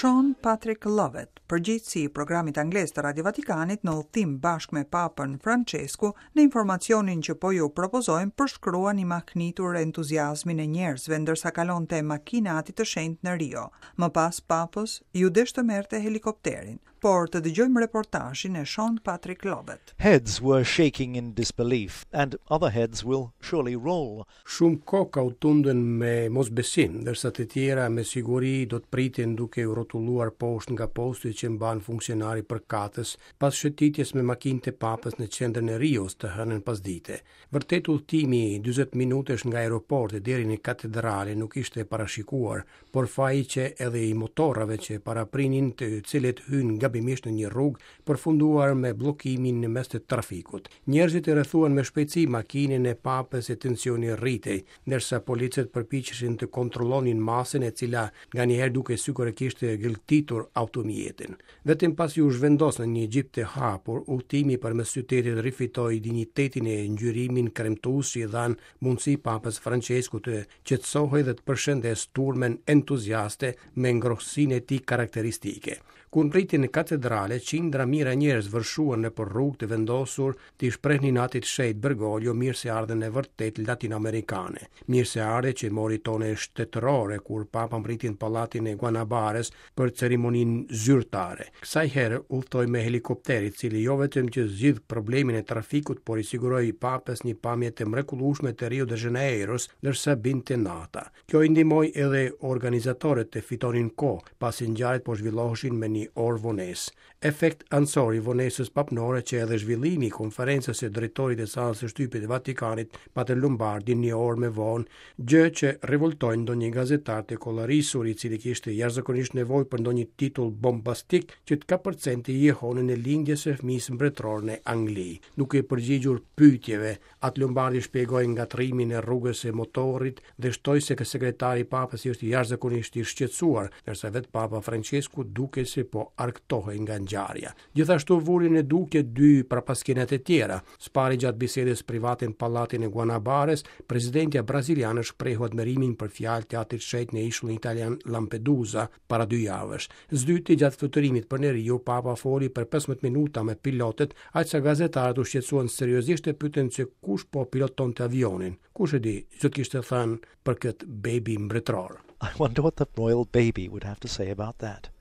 Sean Patrick Lovett, përgjegjësi i programit anglez të Radio Vatikanit në udhëtim bashkë me Papën Françesku, në informacionin që po ju propozojmë përshkruan i mahnitur entuziazmin e njerëzve ndërsa kalonte makina e Atit të Shenjtë në Rio. Më pas Papës iu desh të merrte helikopterin. Por të dëgjojmë reportazhin e Sean Patrick Lovett. Heads were shaking in disbelief, and other heads will surely roll. Shumë koka u tundën me mosbesim, ndërsa të tjera me siguri do të priten duke u rrotulluar poshtë nga posti që mban funksionari përkatës pas shëtitjes me makinë të Papës në qendrën e Rios të hënën pasdite. Vërtet udhëtimi 40 minutësh nga aeroporti deri në katedrale nuk ishte parashikuar, por faji qe edhe i motorrave që paraprinin të cilët hynë gabimisht në një rrugë, përfunduar me bllokimin në mes të trafikut. Njerëzit e rrethuan me shpejtësi makinën e Papës e tensioni rritej, ndërsa policët përpiqeshin të kontrollonin masën e cila nganjëherë dukej sikur e kishte gëlltitur automjetin. Vetëm pasi u zhvendos në një xhip të hapur, udhëtimi përmes qytetit rifitoi dinjitetin e ngjyrimin kremtues që i dhanë mundësi Papës Françesku të qetësohej dhe të përshëndesë turmën entuziaste me ngrohtësinë e tij karakteristike. Kur mbërriti në katedrale, qindra mijëra njerëz vërshuan nëpër rrugë të vendosur t'i shprehnin Atit të Shenjtë Bergoglio mirëseardhjen e vërtetë latinoamerikane. Mirëseardhje që mori tone shtetërore kur Papa mbërriti në pallatin e Guanabares për ceremoninë zyrtare. Kësaj here udhëtoi me helikopter, i cili jo vetëm që zgjidh problemin e trafikut, por i siguroi Papës një pamje të mrekullueshme të Rio de Janeiros, ndërsa binte nata. Kjo i ndihmoi edhe organizatorët të fitonin kohë, pasi ngjarjet po zhvilloheshin me një orë vonesë. Efekt anësor i vonesës papnore qe edhe zhvillimi i konferencës së drejtorit të sallës së shtypit të Vatikanit, Patër Lombardi, një orë më vonë, gjë që revoltoi ndonjë gazetar të kollarisur, i cili kishte jashtëzakonisht nevojë për ndonjë titull bombastik që të kapërcente jehonën e lindjes së fëmijës mbretëror në Angli. Duke iu përgjigjur pyetjeve, Atë Lombardi shpjegoi ngatërrimin e rrugës së motorrit dhe shtoi se sekretari i Papës ishte jashtëzakonisht i shqetësuar, ndërsa vetë Papa Françesku dukej se po argëtohej nga ngjarja. Gjithashtu vuri në dukje dy prapaskena të tjera. Së pari gjatë bisedës private në pallatin e Guanabares, presidentja braziliane shprehu admirimin për fjalët e Atit të Shenjtë në ishullin italian Lampedusa, para dy javësh. Së dyti, gjatë fluturimit për në Rio, Papa foli për 15 minuta me pilotët, aq sa gazetarët u shqetësuan seriozisht e pyetën se kush po pilotonte avionin. Kush e di, ç'do të kishte thënë për këtë bebi mbretëror. I wonder what the royal baby would have to say about that.